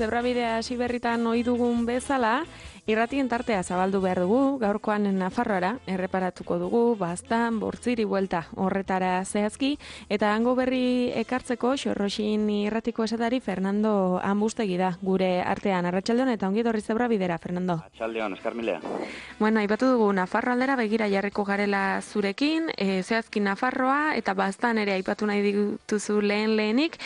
Zebrabidea hasi berritan ohi dugun bezala, irratien tartea zabaldu behar dugu, gaurkoan Nafarroara erreparatuko dugu, Baztan, Bortziri buelta horretara zehazki, eta hango berri ekartzeko Xorroxin irratiko esatari Fernando Ambustegi da, gure artean. Arratsaldeon eta ongi etorri Zebrabidera, Fernando. Arratsaldeon, eskarmilea. Bueno, aipatu dugu Nafarro aldera begira jarriko garela zurekin, zehazki Nafarroa eta Baztan ere aipatu nahi dituzu lehenik,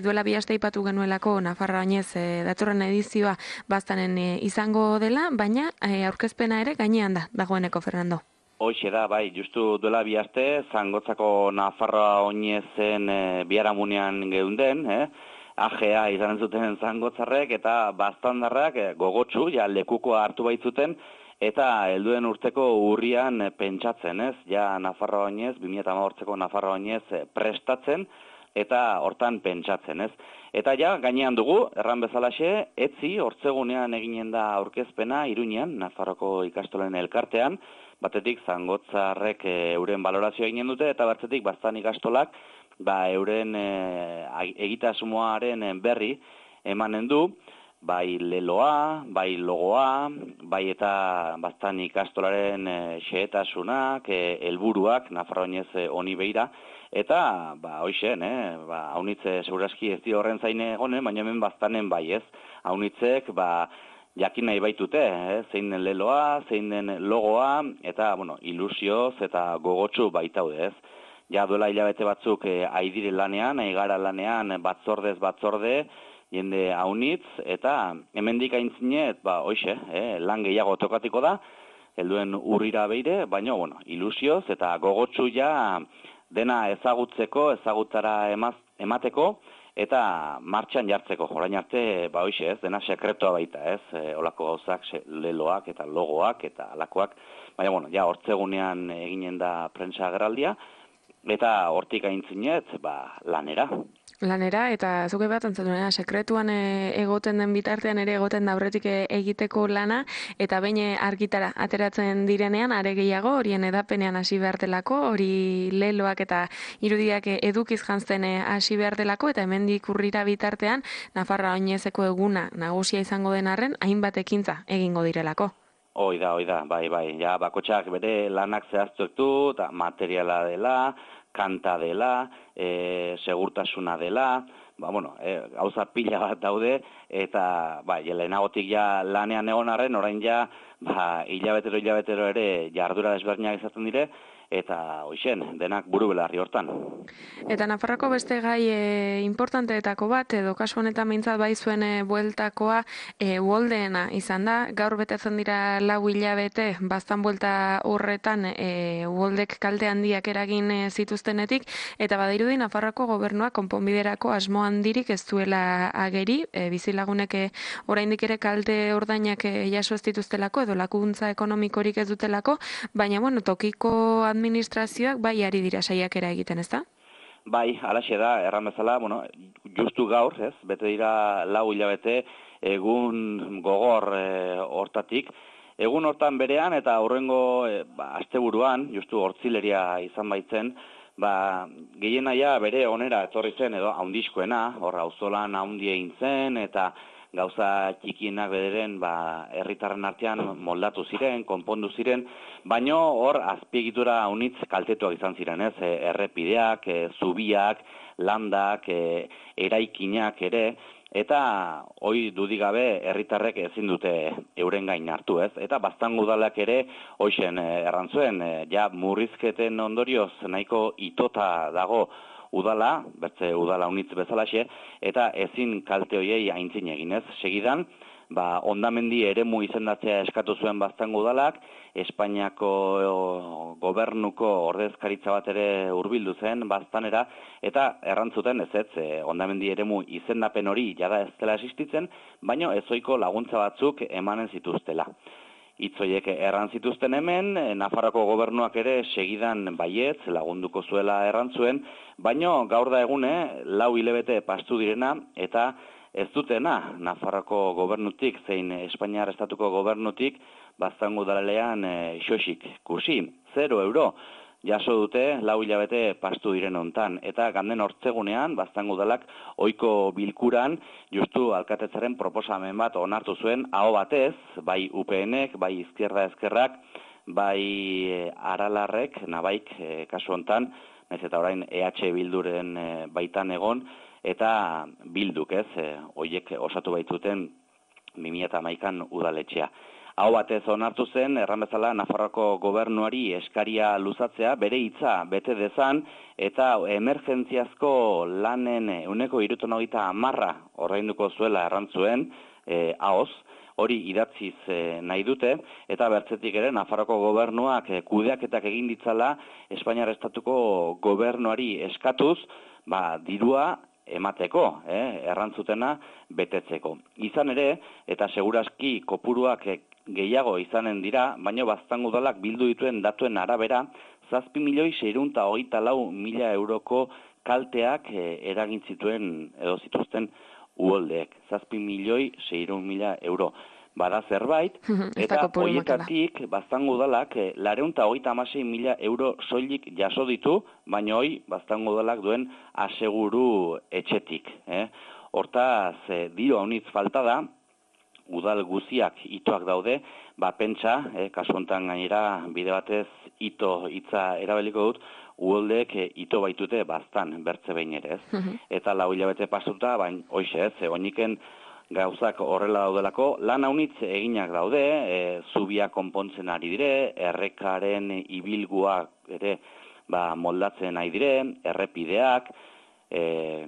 duela 2 aste aipatu genuelako Nafarroa oinez datorren edizioa Baztanen izango dela, baina aurkezpena ere gainean dagoeneko, Fernando. Hoxe da, bai, justu duela 2 aste, Zangotzako Nafarroa oinezen biharamunean geunden, AGA izan zuten zangotzarrek eta baztandarrak gogotsu, ja lekukoa hartu baitzuten, eta helduen urteko urrian pentsatzen, ja Nafarroa oinez, 2018ko Nafarroa oinez prestatzen, eta hortan pentsatzen, Eta ja, gainean dugu, erran bezalaxe, etzi, hortzegunean eginen da aurkezpena, Iruñean, Nafarroko ikastolen elkartean, batetik Zangotzarrek euren balorazioa eginen dute, eta batetik Baztan ikastolak, euren egitasmoaren berri emanen du, bai leloa, bai logoa, bai eta Baztan ikastolaren xehetasunak, helburuak, Nafarroa oinez honi beira, eta, hoixen, haunitze seguraski ez di horren zaine egonen, baina hemen Baztanen bai haunitzek, jakin nahi baitute, zein den leloa, zein den logoa, eta, ilusioz eta gogotsu baitaude, Ja duela hilabete batzuk aidire lanean, aigara lanean, batzordez batzorde, jende haunitz, eta hemendik aintzinet, hoixe, lan gehiago tokatiko da, helduen urrira beire, baina, ilusioz eta gogotsu ja dena ezagutzeko, ezagutzara emateko, eta martxan jartzeko, orain arte, hoixe, dena sekretoa baita, olako gauzak, leloak eta logoak eta alakoak, baina, ja hortzegunean eginen da prentsa agerraldia, eta hortik aintzinet, lanera. Lanera, eta zuke bat antzatuna, sekretuan egoten den bitartean ere egoten da aurretik egiteko lana, eta behin argitara ateratzen direnean, are gehiago, horien edapenean hasi behar delako, hori leloak eta irudiak edukiz jantzten hasi behar delako, eta hemendik urrira bitartean, Nafarroa oinezeko eguna nagusia izango den arren, hainbat ekintza egingo direlako. Hoi da, bai, ja, bakotxak bere lanak zehaztuek du, eta materiala dela, kanta dela, segurtasuna dela, gauza pila bat daude, eta lehenagotik ja lanean egon arren, orain ja hilabetero ere jardura desberdinak izaten dire, eta hoixen, denak buru belarri hortan. Eta Nafarroko beste gai importanteetako bat, edo kasu honetan behintzat bai zuen bueltakoa uholdeena izan da, gaur betetzen dira 4 hilabete, Baztan buelta horretan uholdek kalte handiak eragin zituztenetik, eta badirudi Nafarroko gobernuak konponbiderako asmo handirik ez duela ageri, bizilagunek oraindik ere kalte ordainak jaso ez dituztelako, edo lakuntza ekonomikorik ez dutelako, baina tokiko administrazioak bai ari dira saiakera egiten, ezta? Bai, alaxe da, erran bezala, justu gaur, bete dira 4 hilabete egun gogor hortatik. Egun hortan berean eta aurrengo asteburuan, justu hortzileria izan baitzen, gehienaia bere onera etorri zen edo haundizkoena, auzolan haundi egin zen eta gauza txikienak bederen herritarren artean moldatu ziren, konpondu ziren, baino hor azpiegitura haunitz kaltetuak izan ziren, errepideak, zubiak, landak, eraikinak ere, eta hoi dudigabe herritarrek ezin dute euren gain hartu, Eta Baztan udalak ere hoixen errantzuen, ja murrizketen ondorioz nahiko itota dago udala, bertze udala unitz bezalaxe, eta ezin kalte hoiei aintzin eginez. Segidan, hondamendi eremu izendatzea eskatu zuen Baztan udalak, Espainiako gobernuko ordezkaritza bat ere hurbildu zen Baztanera, eta errantzuten hondamendi eremu izendapen hori jada ez dela existitzen, baino ezoiko laguntza batzuk emanen zituztela. Itzoiek erran zituzten hemen, Nafarroko gobernuak ere segidan baietz lagunduko zuela errantzuen, baino gaur da egune 4 hilabete pastu direna eta ez dutena Nafarroko gobernutik zein Espainiar estatuko gobernutik Baztan udalean xoxik kursi, 0 euro. jaso dute 4 hilabete pastu diren hontan. Eta ganden hortzegunean, Baztango udalak ohiko bilkuran, justu alkatetzaren proposamen bat onartu zuen, aho batez, bai UPNek, bai Izquierda Ezkerrak, bai Aralarrek, Nabaik, kasu hontan, naiz eta orain EH Bilduren baitan egon, eta Bilduk, hoiek osatu baitzuten 2011an udaletxea. Hau batez onartu zen, erran bezala, Nafarroako gobernuari eskaria luzatzea, bere hitza bete dezan, eta emergentziazko lanen 170 ordainduko zuela errantzuen, ahoz, hori idatziz nahi dute, eta bertzetik ere, Nafarroako gobernuak kudeaketak egin ditzala, Espainiar Estatuko gobernuari eskatuz, dirua emateko, errantzutena betetzeko. Izan ere, eta seguraski kopuruak gehiago izanen dira, baina Baztango udalak bildu dituen datuen arabera, 7.624.000 euroko kalteak eragin zituen edo zituzten uholdeek. 7.600.000 euro. Bada zerbait, eta horietatik Baztango udalak 236.000 euro soilik jaso ditu, baina hoi Baztango udalak duen aseguru etxetik. Hortaz, diru haunitz falta da, udal guziak itoak daude, pentsa, kasu honetan gainera bide batez ito hitza erabiliko dut, uholdeek ito baitute Baztan, bertze behin ere, Eta 4 hilabete pasuta, baina hoize, oiniken gauzak horrela daudelako, lan haunitz eginak daude, zubia konpontzen ari dire, errekaren ibilguak ere moldatzen ari dire, errepideak,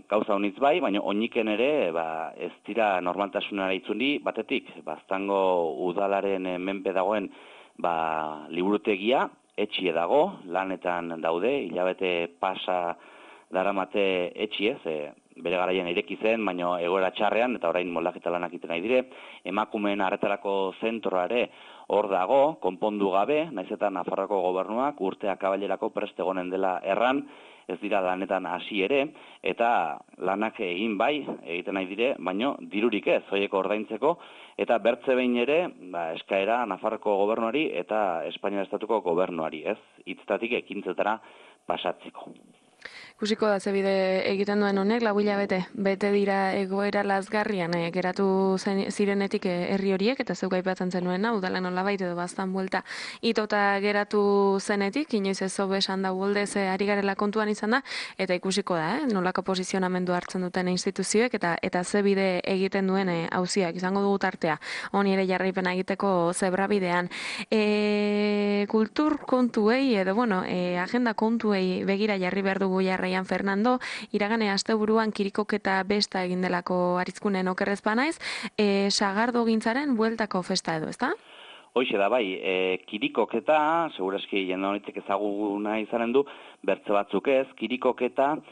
gauza honitz bai, baina oiniken ere ez dira normaltasunara itzundi, batetik, Baztango udalaren menpe dagoen liburutegia, etxie dago, lanetan daude, hilabete pasa daramate etxiez, bere garaian ireki zen, baina egoera txarrean, eta orain moldaketa lanak egiten nahi dire, emakumeen arretarako zentroa ere hor dago, konpondu gabe, naiz eta Nafarroako gobernuak urtea kabalerako prest egonen dela erran, ez dira lanetan hasi ere, eta lanak egin bai, egiten nahi dire, baina dirurik ez, hoieko ordaintzeko, eta bertze behin ere, eskaera Nafarroako gobernuari eta Espainiar Estatuko gobernuari, hitzetatik ekintzetara pasatzeko. Ikusiko da zebide egiten duen honek, 4 hilabete bete dira egoera lazgarrian geratu zirenetik herri horiek, eta zeuk aipatzen zenuena, udala nolabait edo Baztan buelta itota geratu zenetik, inoiz ez zobe esan da uholdez ari garela kontuan izan da, eta ikusiko da, nolako posizionamendu hartzen duten instituzioek, eta zebide egiten duen auziak izango dugu tartea, honi ere jarraipena egiteko zebrabidean. Kultur kontuei, edo agenda kontuei begira jarri behar dugu jarraian Fernando, iragane asteburuan kirikoketa besta egin delako Aritzkunen okerrez banaiz, sagardo gintzaren bueltako festa edo, ezta? Hoixe da, bai, kirikoketa, seguraski jende honitek ezaguna izanen du, bertze batzuk ez, kirikoketa,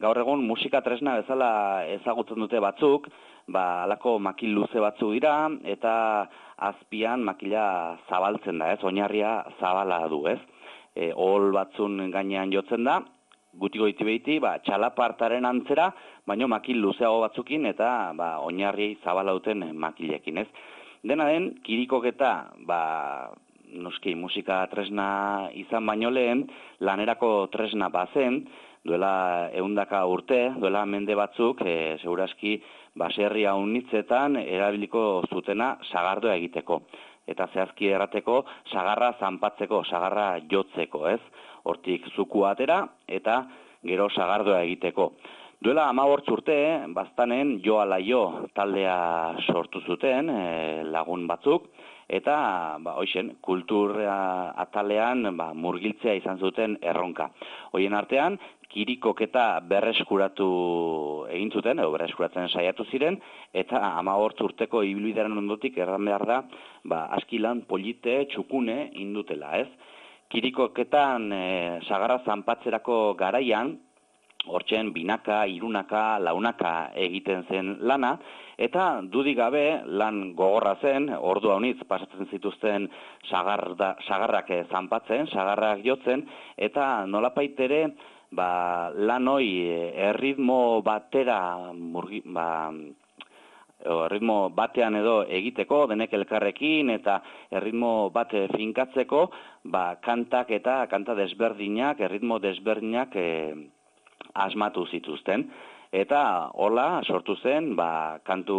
gaur egun musika tresna bezala ezagutzen dute batzuk, alako makil luze batzuk dira, eta azpian makila zabaltzen da, oinarria zabala du, ohol batzun gainean jotzen da, gutiko iti txalapartaren antzera, baino makil luzeago batzukin eta oinarri zabala duten makilekin, Dena den, kirikoketa, noski musika tresna izan baino lehen, lanerako tresna bazen, duela 100 urte, duela mende batzuk, seguraski baserri haunitzetan erabiliko zutena sagardoa egiteko. Eta zehazki errateko, sagarra zanpatzeko, sagarra jotzeko, Hortik zuku atera eta gero sagardoa egiteko. Duela 15 urte, Baztanen jo ala jo taldea sortu zuten lagun batzuk, eta hoixen, kultura atalean murgiltzea izan zuten erronka. Hoien artean, kirikoketa berreskuratu egin zuten, edo berreskuratzen saiatu ziren, eta 15 urteko ibilbidearen ondotik erran behar da, askilan polite txukune indutela, Kirikoketan sagarra zanpatzerako garaian, hortzen binaka, hirunaka, launaka egiten zen lana, eta dudik gabe lan gogorra zen, ordu haunitz pasatzen zituzten sagarrak zanpatzen, sagarrak jotzen, eta nolapait ere lan hoi erritmo batera erritmo batean edo egiteko, denek elkarrekin, eta erritmo bat finkatzeko, kantak eta kanta desberdinak, erritmo desberdinak asmatu zituzten. Eta hola sortu zen kantu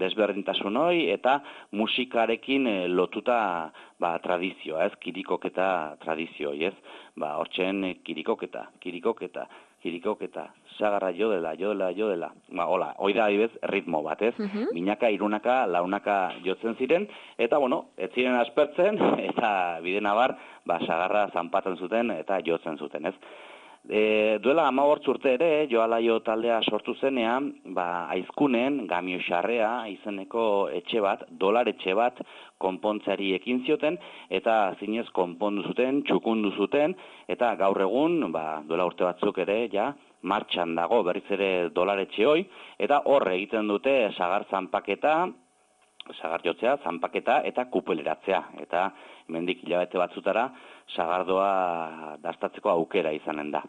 desberdintasun hori eta musikarekin lotuta tradizioa, ez? Kirikoketa tradizio, ez? Hortzen kirikoketa, sagarra jodela. Hola, hori da adibez ritmo bat, ez? Binaka, irunaka, launaka jotzen ziren, eta ez ziren aspertzen, eta bidenabar, sagarra zanpatzen zuten eta jotzen zuten, ez? Duela 15 urte ere, Joalaio taldea sortu zenean, Aizkunen, Gamioxarrea izeneko etxe bat, dolar etxe bat, konpontzeari ekin zioten, eta zinez konpondu zuten, txukundu zuten, eta gaur egun, duela urte batzuk ere, martxan dago berriz ere dolar etxe hoi, eta hor egiten dute sagar zanpaketa, sagar jotzea, zanpaketa eta kupeleratzea. Eta hemendik hilabete batzutara sagardoa dastatzeko aukera izanen da.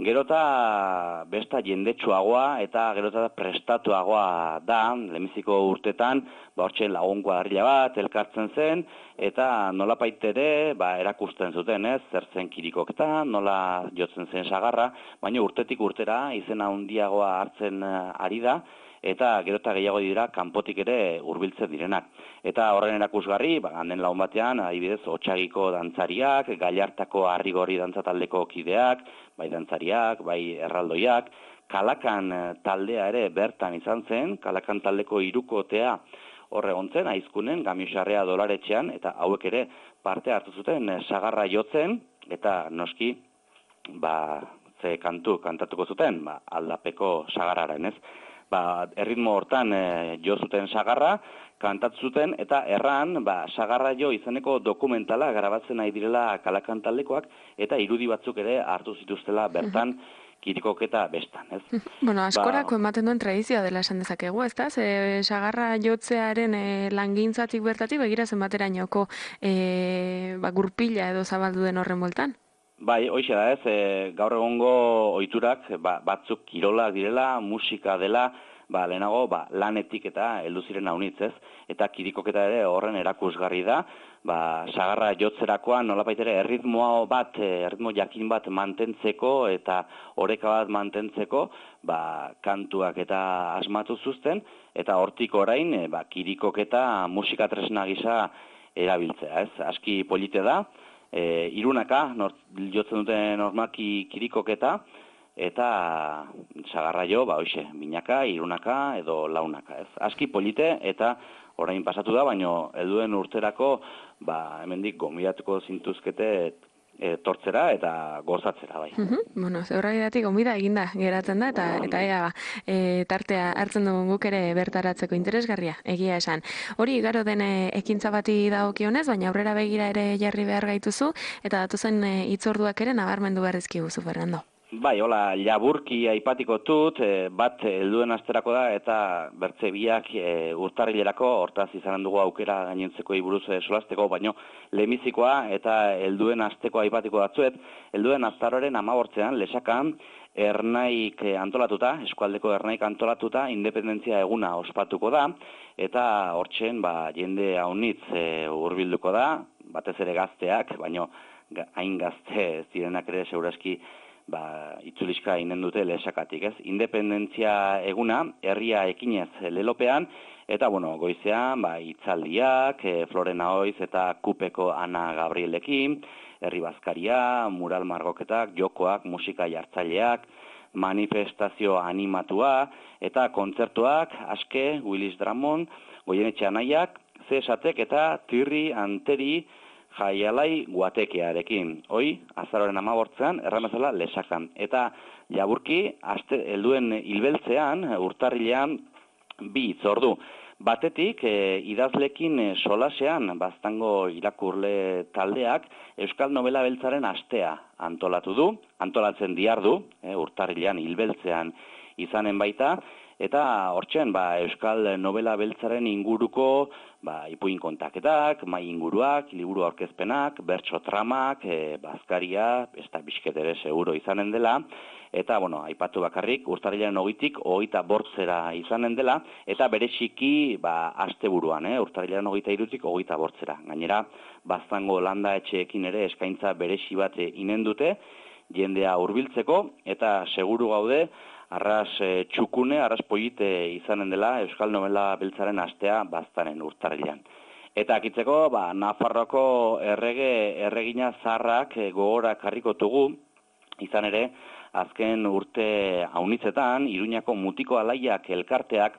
Gerota besta jendetsuagoa eta gerota prestatuagoa da, lehenbiziko urtetan, hortxe lagun kuadrilla bat, elkartzen zen, eta nolapait ere erakusten zuten, ez, zer zen kirikoketa, nola jotzen zen sagarra, baina urtetik urtera izena handiagoa hartzen ari da, eta gerota gehiago dira kanpotik ere hurbiltzen direnak. Eta horren erakusgarri, handen lagun batean, adibidez, Otsagiko dantzariak, Gallartako Arrigorri dantzataldeko kideak, bai dantzariak, bai erraldoiak, Kalakan taldea ere bertan izan zen, Kalakan taldeko hirukotea horre gontzen, Aizkunen, Gamioxarrea dolaretxean, eta hauek ere parte hartu zuten sagarra jotzen, eta noski, ze kantatuko zuten, aldapeko sagarraren, ez? Erritmo hortan jo zuten sagarra, kantatu zuten, eta erran, sagarra jo izeneko dokumentala grabatzen nahi direla Kalakan taldekoak, eta irudi batzuk ere hartu zituztela bertan kirikoketa bestan, ez? Askorako ematen duen tradizioa dela esan dezakegu, ez da? Sagarra jotzearen langintzatik bertatik, begira zenbaterainoko gurpila edo zabaldu den horren bueltan? Bai, hoxe da ez, gaur egongo ohiturak batzuk kirolak direla, musika dela, lehenago lanetik eta heldu ziren haunitz, ez? Eta kirikoketa ere horren erakusgarri da, sagarra jotzerakoan nolapait ere erritmo jakin bat mantentzeko eta oreka bat mantentzeko, kantuak eta asmatu zuzten, eta hortik orain kirikoketa musika tresna gisa erabiltzea, ez? Aski polite da. Irunaka, jotzen dute normalki kirikoketa, eta sagarra jo, binaka, irunaka edo launaka, ez? Aski polite eta orain pasatu da, baino helduen urterako, hemendik gonbidatuko zintuzkete tortzera eta gozatzera, bai. Zeurraidatik gonbida eginda geratzen da, eta ea tartea hartzen dugun guk ere bertaratzeko interesgarria, egia esan. Hori igaro den ekintza bati dagokionez, baina aurrera begira ere jarri behar gaituzu, eta datuzen hitzorduak ere nabarmendu behar dizkiguzu, Fernando. Bai, hola, laburki aipatiko dut, bat helduen asterako da, eta bertze biak urtarrilerako, hortaz izanen dugu aukera gainentzeko buruz solasteko, baino lehenbizikoa eta helduen asteko aipatiko batzuet, helduen azaroaren 15ean Lesakan ernaik antolatuta, eskualdeko ernaik antolatuta, independentzia eguna ospatuko da, eta hortzen jende haunitz hurbilduko da, batez ere gazteak, baino hain gazte zirenak ere segurazki itzulizka inen dute Lesakatik, ez? Independentzia eguna, herria ekinez lelopean, eta, goizean, hitzaldiak, Florena Oiz eta Kupeko Ana Gabrielekin, herri bazkaria, mural margoketak, jokoak, musika jartzaileak, manifestazio animatua, eta kontzertuak, Aske, Willis Drummond, Goienetxe Anaiak, Zesatek eta Tirri Anteri Jaialai Guatekearekin. Hoi, azaroren 15ean, erramezala Lesakan. Eta laburki, helduen hilbeltzean, urtarrilean, 2 hitzordu. Batetik, idazlekin solasean, baztango irakurle taldeak, Euskal Nobela Beltzaren astea antolatu du, antolatzen diardu, urtarrilean hilbeltzean izanen baita, Eta hortxen, Euskal Novela Beltzaren inguruko ipuin kontaketak, mai inguruak, liburu aurkezpenak, bertso tramak, bazkaria, ez da bizket ere seguro izanen dela, eta, aipatu bakarrik, urtarrilaren 20tik 25 izanen dela, eta bereziki, asteburuan, urtarrilaren 23tik 25. Gainera, Baztango landa etxeekin ere eskaintza berezi bat inen dute, jendea hurbiltzeko, eta seguru gaude, arras txukune, arras polite izanen dela Euskal Novela Beltzaren astea Baztanen urtarrilean. Eta akitzeko, Nafarroako erregina zaharrak gogora karrikotugu, izan ere, azken urte haunitzetan, Iruñako Mutiko Alaiak elkarteak,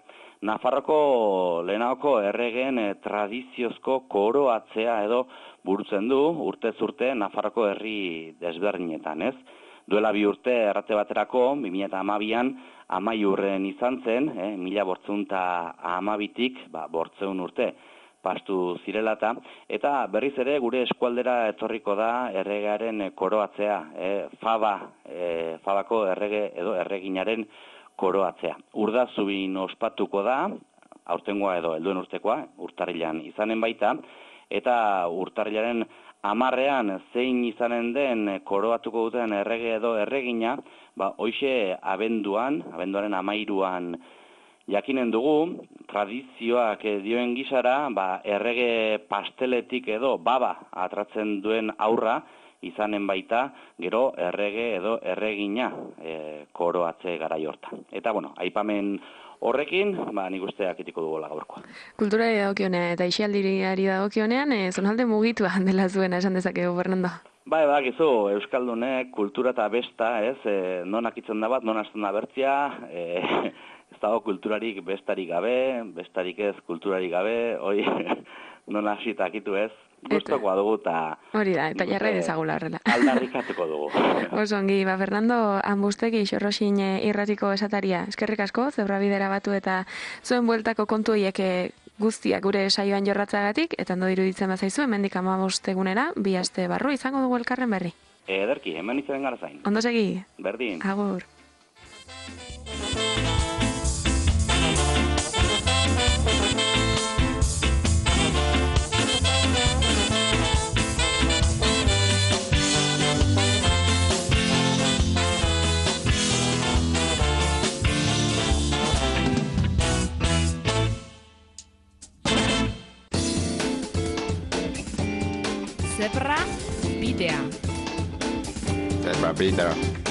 Nafarroko lehenagoko erregen tradiziozko koroatzea edo burutzen du, urtez urte Nafarroko herri desberdinetan, ez? Duela 2 urte errate baterako, 2012an, Amaiurren izan zen, 1512tik, 800 urte pastu zirelata, eta berriz ere gure eskualdera etorriko da erregearen koroatzea, Fabako errege edo erreginaren koroatzea. Urdazubin ospatuko da, aurtengoa edo helduen urtekoa, urtarrilean izanen baita, eta urtarrilaren 10ean zein izanen den koroatuko duten errege edo erregina, hoxe abenduaren 13an jakinen dugu, tradizioak dioen gizara, errege pasteletik edo baba atratzen duen aurra izanen baita, gero errege edo erregina koroatze garai hortan. Eta, aipamen horrekin, nik uste akitiko dugola gaurkoa. Kulturari dagokionean eta isialdiari dagokionean, zonalde mugitua dela zuena esan dezakegu, Fernando. Badakizu, Euskaldunek kultura eta besta, non akitzen da bat, non hasten da bertzia, ez dago kulturarik bestarik gabe, bestarik ez kulturarik gabe, hoi non hasita akitu ez, gustokoa dugu eta... Hori da, eta jarra ezagula horrela. Aldarrikatuko dugu. Osongi, Fernando, Ambustegi xorroxin irratiko esataria. Eskerrik asko, zebrabidera batu eta zuen bueltako kontu horiek guztiak gure saioan jorratzagatik, eta ondo iruditzen bazaizu, hemendik 15 egunera, 2 aste barru izango dugu elkarren berri. Ederki, hemen izan gara zain. Ondo segi. Berdin. Agur. Zebra bidea. Zebra bidea.